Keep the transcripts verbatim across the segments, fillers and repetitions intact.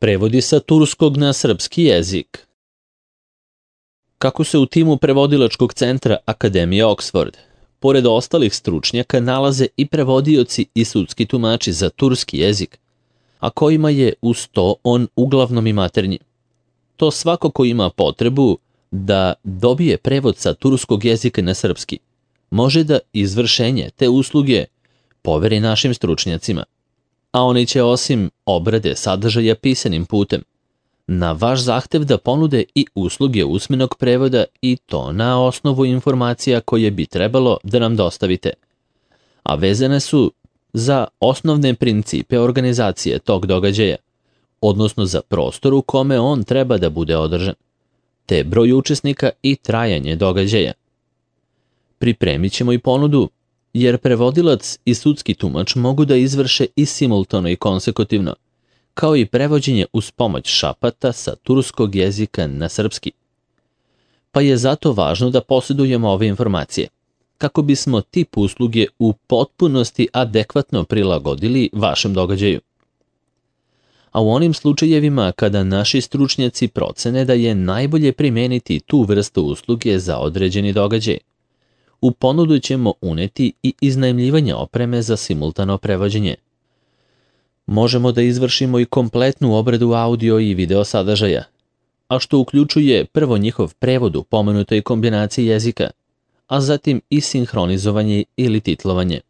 Prevodi sa turskog na srpski jezik. Kako se u timu prevodilačkog centra Akademije Oxford, pored ostalih stručnjaka, nalaze i prevodioci i sudski tumači za turski jezik, a kojima je uz to on uglavnom i maternji. To svako ko ima potrebu da dobije prevod sa turskog jezika na srpski, može da izvršenje te usluge poveri našim stručnjacima, a oni će osim obrade sadržaja pisanim putem, na vaš zahtev da ponude i usluge usmenog prevoda i to na osnovu informacija koje bi trebalo da nam dostavite, a vezane su za osnovne principe organizacije tog događaja, odnosno za prostor u kome on treba da bude održan, te broj učesnika i trajanje događaja. Pripremit ćemo i ponudu, jer prevodilac i sudski tumač mogu da izvrše i simultano i konsekutivno, kao i prevođenje uz pomoć šapata sa turskog jezika na srpski. Pa je zato važno da posjedujemo ove informacije, kako bismo tip usluge u potpunosti adekvatno prilagodili vašem događaju. A u onim slučajevima kada naši stručnjaci procene da je najbolje primeniti tu vrstu usluge za određeni događaj, u ponudu ćemo uneti i iznajmljivanje opreme za simultano prevođenje. Možemo da izvršimo i kompletnu obradu audio i video sadržaja, a što uključuje prvo njihov prevod u pomenutoj kombinaciji jezika, a zatim i sinhronizovanje ili titlovanje.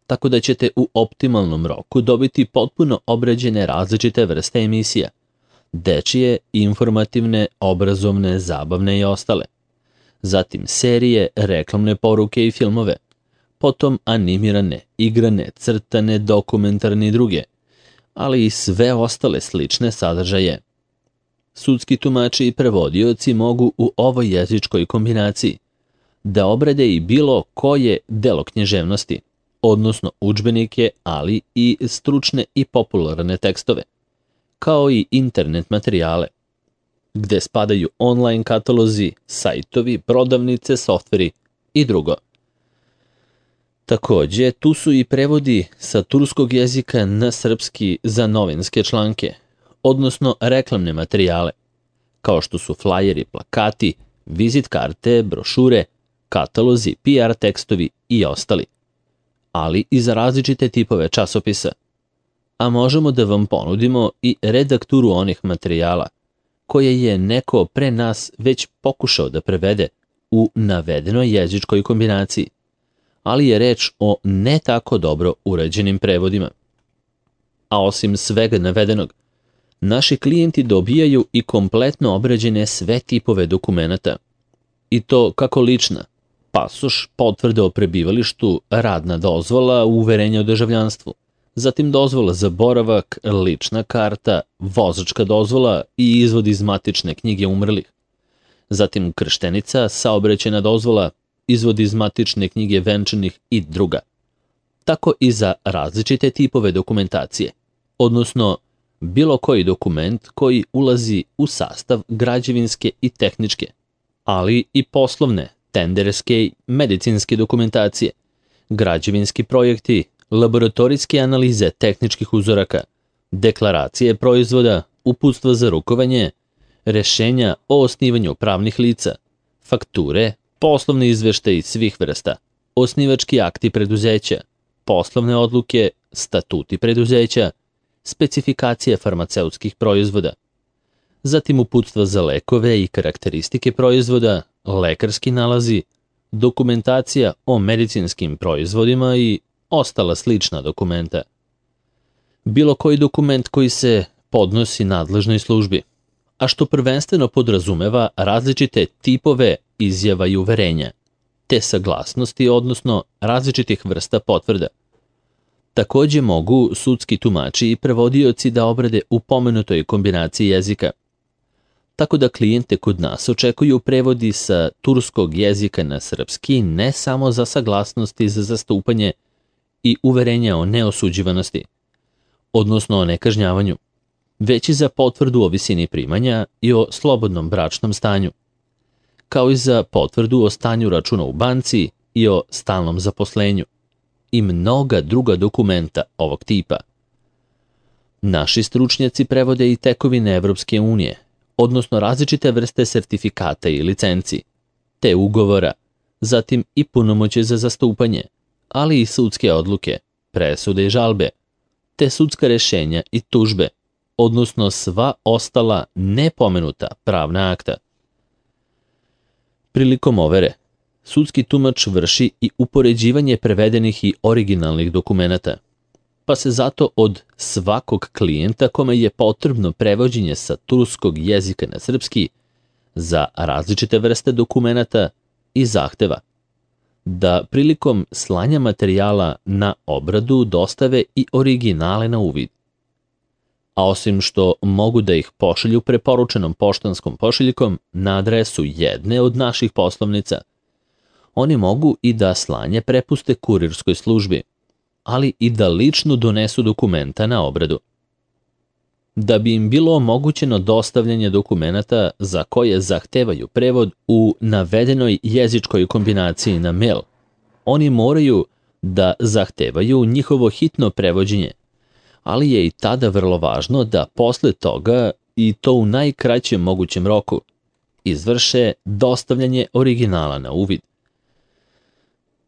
Tako da ćete u optimalnom roku dobiti potpuno obrađene različite vrste emisija, dečije, informativne, obrazovne, zabavne i ostale. Zatim serije, reklamne poruke i filmove, potom animirane, igrane, crtane, dokumentarne i druge, ali i sve ostale slične sadržaje. Sudski tumači i prevodioci mogu u ovoj jezičkoj kombinaciji da obrade i bilo koje delo književnosti, odnosno udžbenike, ali i stručne i popularne tekstove, kao i internet materijale, gde spadaju online katalozi, sajtovi, prodavnice, softveri i drugo. Takođe, tu su i prevodi sa turskog jezika na srpski za novinske članke, odnosno reklamne materijale, kao što su flajeri, plakati, vizit karte, brošure, katalozi, P R tekstovi i ostali, ali i za različite tipove časopisa. A možemo da vam ponudimo i redakturu onih materijala koje je neko pre nas već pokušao da prevede u navedenoj jezičkoj kombinaciji, ali je reč o ne tako dobro urađenim prevodima. A osim svega navedenog, naši klijenti dobijaju i kompletno obrađene sve tipove dokumenata, i to kako lična, pasoš, potvrda o prebivalištu, radna dozvola, uverenje o državljanstvu, zatim dozvola za boravak, lična karta, vozačka dozvola i izvod iz matične knjige umrlih, zatim krštenica, saobraćajna dozvola, izvod iz matične knjige venčanih i druga. Tako i za različite tipove dokumentacije, odnosno bilo koji dokument koji ulazi u sastav građevinske i tehničke, ali i poslovne, tenderske i medicinske dokumentacije, građevinski projekti, laboratorijske analize tehničkih uzoraka, deklaracije proizvoda, uputstva za rukovanje, rešenja o osnivanju pravnih lica, fakture, poslovne izveštaje svih vrsta, osnivački akti preduzeća, poslovne odluke, statuti preduzeća, specifikacije farmaceutskih proizvoda, zatim uputstva za lekove i karakteristike proizvoda, lekarski nalazi, dokumentacija o medicinskim proizvodima i ostala slična dokumenta. Bilo koji dokument koji se podnosi nadležnoj službi, a što prvenstveno podrazumeva različite tipove izjava i uverenja, te saglasnosti, odnosno različitih vrsta potvrda. Takođe mogu sudski tumači i prevodioci da obrade u pomenutoj kombinaciji jezika. Tako da klijente kod nas očekuju prevodi sa turskog jezika na srpski ne samo za saglasnosti za zastupanje i uverenja o neosuđivanosti, odnosno o nekažnjavanju, već i za potvrdu o visini primanja i o slobodnom bračnom stanju, kao i za potvrdu o stanju računa u banci i o stalnom zaposlenju i mnoga druga dokumenta ovog tipa. Naši stručnjaci prevode i tekovine Evropske unije, odnosno različite vrste sertifikata i licenci, te ugovora, zatim i punomoćje za zastupanje, ali i sudske odluke, presude i žalbe, te sudska rešenja i tužbe, odnosno sva ostala nepomenuta pravna akta. Prilikom overe, sudski tumač vrši i upoređivanje prevedenih i originalnih dokumenata, pa se zato od svakog klijenta kome je potrebno prevođenje sa turskog jezika na srpski za različite vrste dokumenata i zahteva da prilikom slanja materijala na obradu dostave i originale na uvid. A osim što mogu da ih pošalju preporučenom poštanskom pošiljkom na adresu jedne od naših poslovnica, oni mogu i da slanje prepuste kurirskoj službi, ali i da lično donesu dokumenta na obradu. Da bi im bilo omogućeno dostavljanje dokumenata za koje zahtevaju prevod u navedenoj jezičkoj kombinaciji na mail, oni moraju da zahtevaju njihovo hitno prevođenje, ali je i tada vrlo važno da posle toga, i to u najkraćem mogućem roku, izvrše dostavljanje originala na uvid.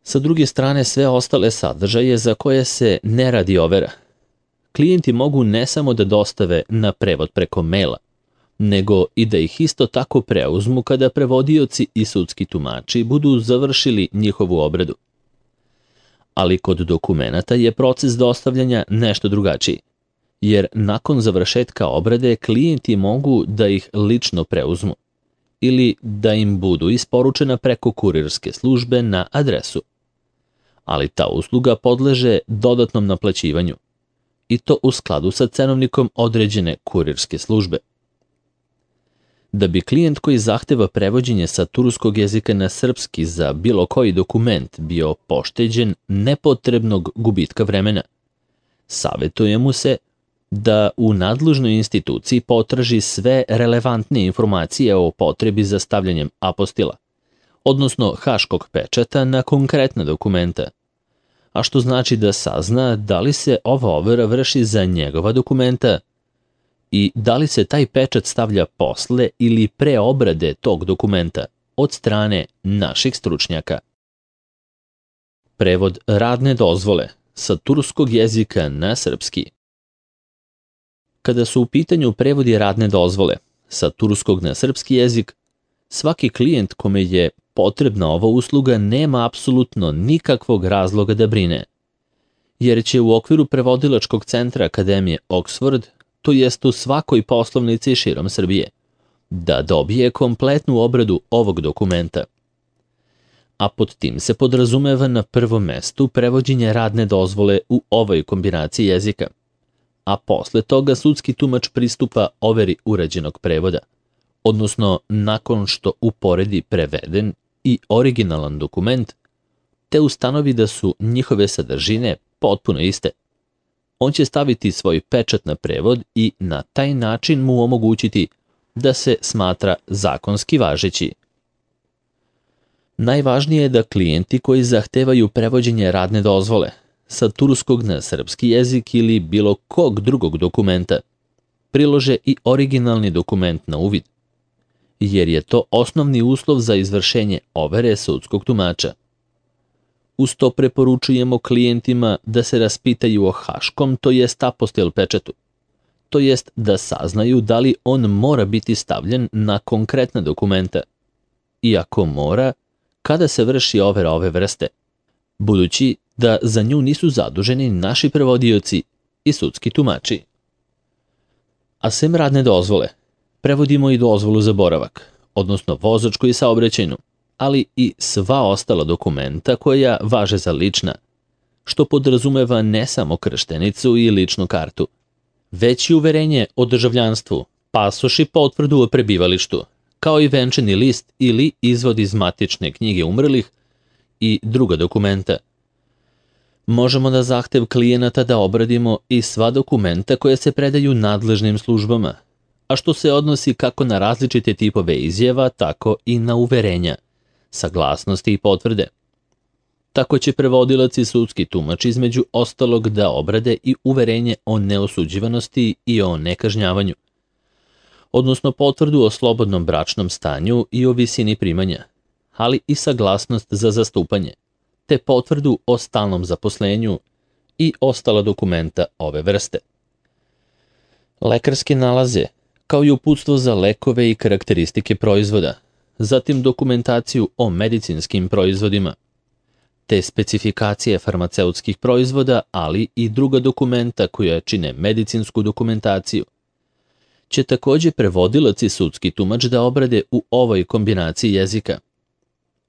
Sa druge strane, sve ostale sadržaje za koje se ne radi overa, klijenti mogu ne samo da dostave na prevod preko maila, nego i da ih isto tako preuzmu kada prevodioci i sudski tumači budu završili njihovu obradu. Ali kod dokumenata je proces dostavljanja nešto drugačiji, jer nakon završetka obrade klijenti mogu da ih lično preuzmu ili da im budu isporučena preko kurirske službe na adresu. Ali ta usluga podleže dodatnom naplaćivanju, i to u skladu sa cenovnikom određene kurirske službe. Da bi klijent koji zahteva prevođenje sa turskog jezika na srpski za bilo koji dokument bio pošteđen nepotrebnog gubitka vremena, savjetuje mu se da u nadležnoj instituciji potraži sve relevantne informacije o potrebi za stavljanjem apostila, odnosno haškog pečata na konkretna dokumenta, a što znači da sazna da li se ova overa vrši za njegova dokumenta i da li se taj pečat stavlja posle ili pre obrade tog dokumenta od strane naših stručnjaka. Prevod radne dozvole sa turskog jezika na srpski. Kada su u pitanju prevodi radne dozvole sa turskog na srpski jezik, svaki klijent kome je potrebna ova usluga nema apsolutno nikakvog razloga da brine, jer će u okviru prevodilačkog centra Akademije Oxford, to jest u svakoj poslovnici širom Srbije, da dobije kompletnu obradu ovog dokumenta. A pod tim se podrazumeva na prvom mestu prevođenje radne dozvole u ovoj kombinaciji jezika, a posle toga sudski tumač pristupa overi urađenog prevoda, odnosno nakon što uporedi preveden i originalan dokument, te ustanovi da su njihove sadržine potpuno iste. On će staviti svoj pečat na prevod i na taj način mu omogućiti da se smatra zakonski važeći. Najvažnije je da klijenti koji zahtevaju prevođenje radne dozvole sa turskog na srpski jezik ili bilo kog drugog dokumenta prilože i originalni dokument na uvid, jer je to osnovni uslov za izvršenje overe sudskog tumača. Uz to preporučujemo klijentima da se raspitaju o haškom, to jest apostil pečatu, to jest da saznaju da li on mora biti stavljen na konkretna dokumenta, i ako mora, kada se vrši overa ove vrste, budući da za nju nisu zaduženi naši prevodioci i sudski tumači. A sem radne dozvole, prevodimo i dozvolu za boravak, odnosno vozačku i saobraćajnu, ali i sva ostala dokumenta koja važe za lična, što podrazumeva ne samo krštenicu i ličnu kartu, već i uverenje o državljanstvu, pasoš i potvrdu o prebivalištu, kao i venčani list ili izvod iz matične knjige umrlih i druga dokumenta. Možemo na zahtev klijenata da obradimo i sva dokumenta koja se predaju nadležnim službama, a što se odnosi kako na različite tipove izjava, tako i na uverenja, saglasnosti i potvrde. Tako će prevodilac i sudski tumač između ostalog da obrade i uverenje o neosuđivanosti i o nekažnjavanju, odnosno potvrdu o slobodnom bračnom stanju i o visini primanja, ali i saglasnost za zastupanje, te potvrdu o stalnom zaposlenju i ostala dokumenta ove vrste. Lekarske nalaze, kao i uputstvo za lekove i karakteristike proizvoda, zatim dokumentaciju o medicinskim proizvodima, te specifikacije farmaceutskih proizvoda, ali i druga dokumenta koja čine medicinsku dokumentaciju, će takođe prevodilac i sudski tumač da obrade u ovoj kombinaciji jezika,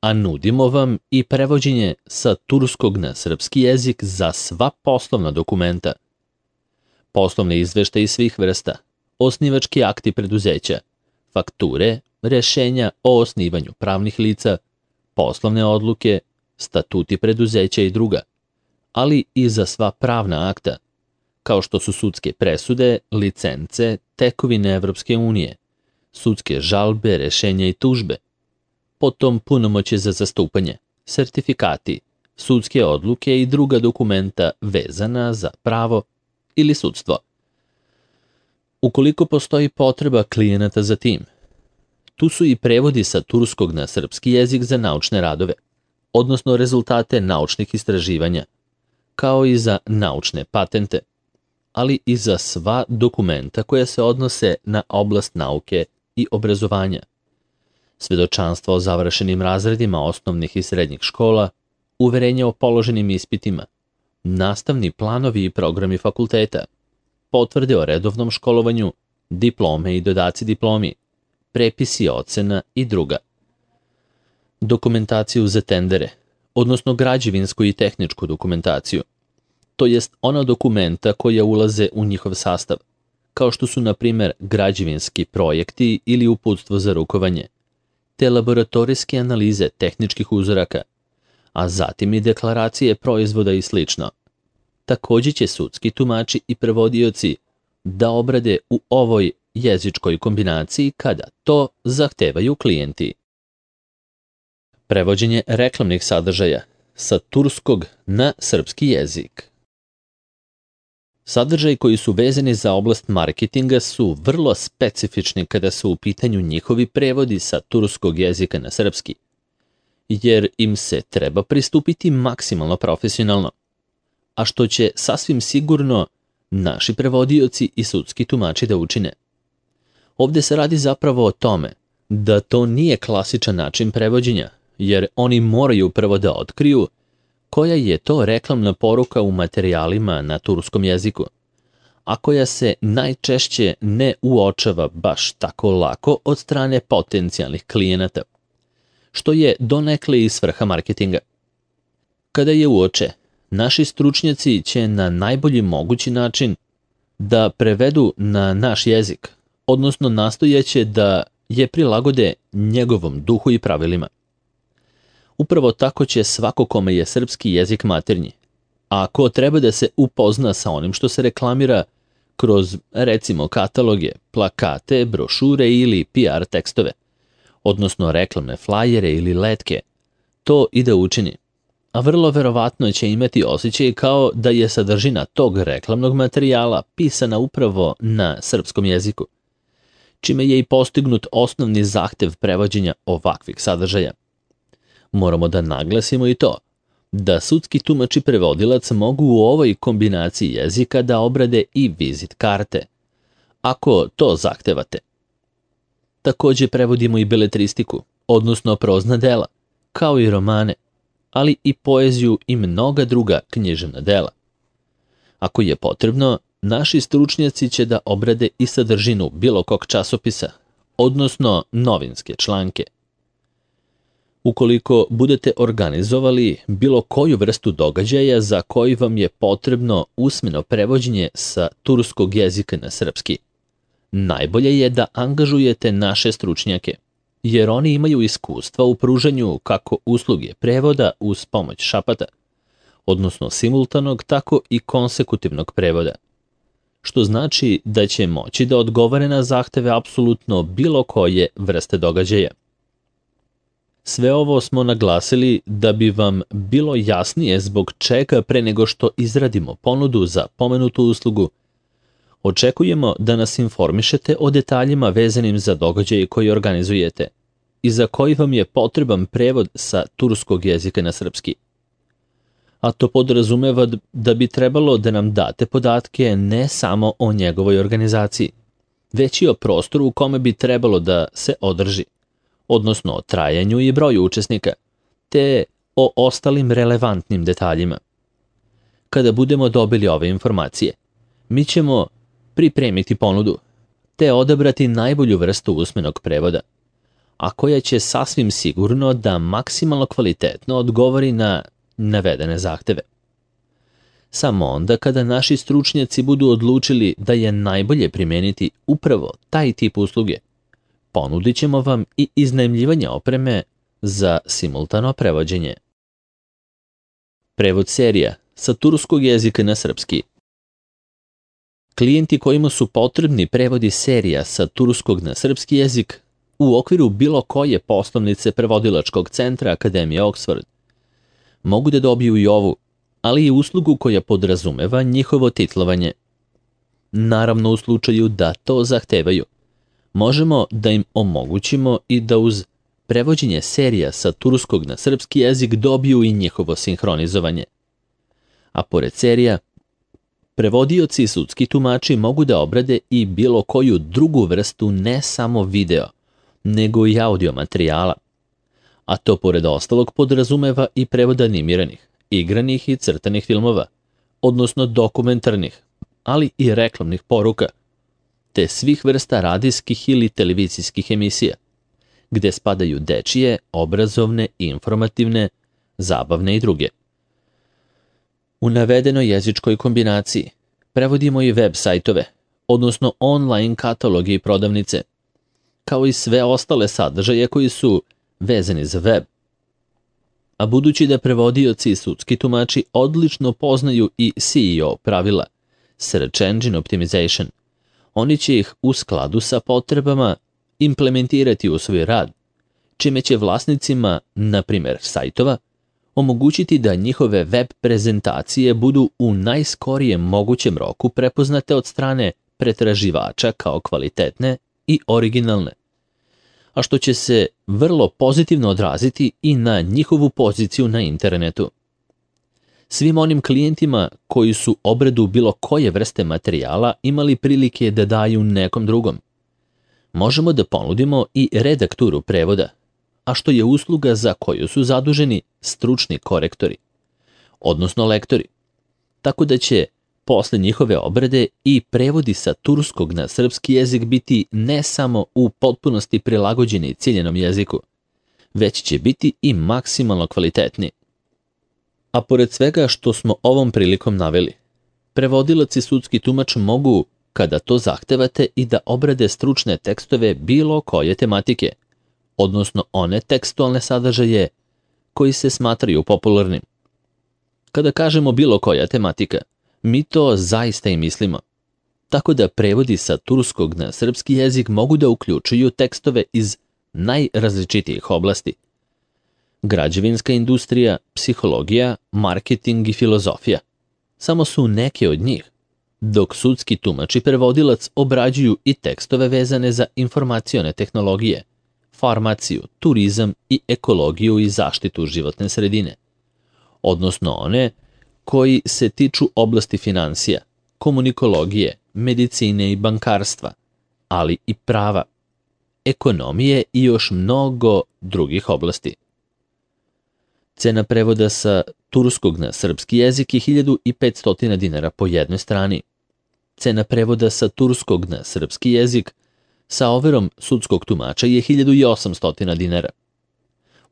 a nudimo vam i prevođenje sa turskog na srpski jezik za sva poslovna dokumenta, poslovne izveštaje svih vrsta, osnivački akti preduzeća, fakture, rešenja o osnivanju pravnih lica, poslovne odluke, statuti preduzeća i druga, ali i za sva pravna akta, kao što su sudske presude, licence, tekovine Evropske unije, sudske žalbe, rešenja i tužbe, potom punomoćje za zastupanje, sertifikati, sudske odluke i druga dokumenta vezana za pravo ili sudstvo. Ukoliko postoji potreba klijenata za tim, tu su i prevodi sa turskog na srpski jezik za naučne radove, odnosno rezultate naučnih istraživanja, kao i za naučne patente, ali i za sva dokumenta koja se odnose na oblast nauke i obrazovanja, svedočanstva o završenim razredima osnovnih i srednjih škola, uverenja o položenim ispitima, nastavni planovi i programi fakulteta, potvrde o redovnom školovanju, diplome i dodaci diplomi, prepisi ocena i druga. Dokumentaciju za tendere, odnosno građevinsku i tehničku dokumentaciju, to jest ona dokumenta koja ulaze u njihov sastav, kao što su, na primer, građevinski projekti ili uputstvo za rukovanje, te laboratorijske analize tehničkih uzoraka, a zatim i deklaracije proizvoda i slično. Takođe će sudski tumači i prevodioci da obrade u ovoj jezičkoj kombinaciji kada to zahtevaju klijenti. Prevođenje reklamnih sadržaja sa turskog na srpski jezik. Sadržaji koji su vezani za oblast marketinga su vrlo specifični kada su u pitanju njihovi prevodi sa turskog jezika na srpski, jer im se treba pristupiti maksimalno profesionalno, a što će sasvim sigurno naši prevodioci i sudski tumači da učine. Ovde se radi zapravo o tome da to nije klasičan način prevođenja, jer oni moraju prvo da otkriju koja je to reklamna poruka u materijalima na turskom jeziku, a koja se najčešće ne uočava baš tako lako od strane potencijalnih klijenata, što je donekle i svrha marketinga. Kada je uoče, naši stručnjaci će na najbolji mogući način da prevedu na naš jezik, odnosno nastojaće da je prilagode njegovom duhu i pravilima. Upravo tako će svako kome je srpski jezik maternji, a ko treba da se upozna sa onim što se reklamira kroz, recimo, kataloge, plakate, brošure ili P R tekstove, odnosno reklamne flajere ili letke, to i da učini. A vrlo verovatno će imati osjećaj kao da je sadržina tog reklamnog materijala pisana upravo na srpskom jeziku, čime je i postignut osnovni zahtev prevođenja ovakvih sadržaja. Moramo da naglasimo i to, da sudski tumač i prevodilac mogu u ovoj kombinaciji jezika da obrade i vizit karte, ako to zahtevate. Takođe prevodimo i beletristiku, odnosno prozna dela, kao i romane, ali i poeziju i mnoga druga književna dela. Ako je potrebno, naši stručnjaci će da obrade i sadržinu bilo kog časopisa, odnosno novinske članke. Ukoliko budete organizovali bilo koju vrstu događaja za koji vam je potrebno usmeno prevođenje sa turskog jezika na srpski, najbolje je da angažujete naše stručnjake, jer oni imaju iskustva u pružanju kako usluge prevoda uz pomoć šapata, odnosno simultanog, tako i konsekutivnog prevoda, što znači da će moći da odgovore na zahteve apsolutno bilo koje vrste događaja. Sve ovo smo naglasili da bi vam bilo jasnije zbog čega pre nego što izradimo ponudu za pomenutu uslugu. Očekujemo da nas informišete o detaljima vezanim za događaje koji organizujete i za koji vam je potreban prevod sa turskog jezika na srpski. A to podrazumeva da bi trebalo da nam date podatke ne samo o njegovoj organizaciji, već i o prostoru u kome bi trebalo da se održi, odnosno o trajanju i broju učesnika, te o ostalim relevantnim detaljima. Kada budemo dobili ove informacije, mi ćemo pripremiti ponudu, te odabrati najbolju vrstu usmenog prevoda, a koja će sasvim sigurno da maksimalno kvalitetno odgovori na navedene zahteve. Samo onda kada naši stručnjaci budu odlučili da je najbolje primeniti upravo taj tip usluge, ponudit ćemo vam i iznajmljivanje opreme za simultano prevođenje. Prevod serija sa turskog jezika na srpski. Klijenti kojima su potrebni prevodi serija sa turskog na srpski jezik u okviru bilo koje poslovnice prevodilačkog centra Akademije Oxford mogu da dobiju i ovu, ali i uslugu koja podrazumeva njihovo titlovanje. Naravno, u slučaju da to zahtevaju, možemo da im omogućimo i da uz prevođenje serija sa turskog na srpski jezik dobiju i njihovo sinhronizovanje. A pored serija, prevodioci i sudski tumači mogu da obrade i bilo koju drugu vrstu ne samo video, nego i audio materijala, a to pored ostalog podrazumeva i prevod animiranih, igranih i crtanih filmova, odnosno dokumentarnih, ali i reklamnih poruka, te svih vrsta radijskih ili televizijskih emisija, gde spadaju dečije, obrazovne, informativne, zabavne i druge. U navedenoj jezičkoj kombinaciji prevodimo i web sajtove, odnosno online kataloge i prodavnice, kao i sve ostale sadržaje koji su vezani za web. A budući da prevodioci i sudski tumači odlično poznaju i S E O pravila, Search Engine Optimization, oni će ih u skladu sa potrebama implementirati u svoj rad, čime će vlasnicima, na primjer sajtova, omogućiti da njihove web prezentacije budu u najskorijem mogućem roku prepoznate od strane pretraživača kao kvalitetne i originalne, a što će se vrlo pozitivno odraziti i na njihovu poziciju na internetu. Svim onim klijentima koji su obradu bilo koje vrste materijala imali prilike da daju nekom drugom, možemo da ponudimo i redakturu prevoda, a što je usluga za koju su zaduženi stručni korektori, odnosno lektori, tako da će posle njihove obrade i prevodi sa turskog na srpski jezik biti ne samo u potpunosti prilagođeni ciljenom jeziku, već će biti i maksimalno kvalitetni. A pored svega što smo ovom prilikom naveli, prevodilac i sudski tumač mogu, kada to zahtevate, i da obrade stručne tekstove bilo koje tematike, odnosno one tekstualne sadržaje koji se smatraju popularnim. Kada kažemo bilo koja tematika, mi to zaista i mislimo. Tako da prevodi sa turskog na srpski jezik mogu da uključuju tekstove iz najrazličitijih oblasti. Građevinska industrija, psihologija, marketing i filozofija samo su neke od njih, dok sudski tumač i prevodilac obrađuju i tekstove vezane za informacione tehnologije, farmaciju, turizam i ekologiju i zaštitu životne sredine, odnosno one koji se tiču oblasti finansija, komunikologije, medicine i bankarstva, ali i prava, ekonomije i još mnogo drugih oblasti. Cena prevoda sa turskog na srpski jezik je hiljadu petsto dinara po jednoj strani. Cena prevoda sa turskog na srpski jezik sa overom sudskog tumača je hiljadu osamsto dinara.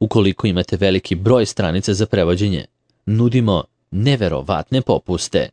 Ukoliko imate veliki broj stranica za prevođenje, nudimo neverovatne popuste.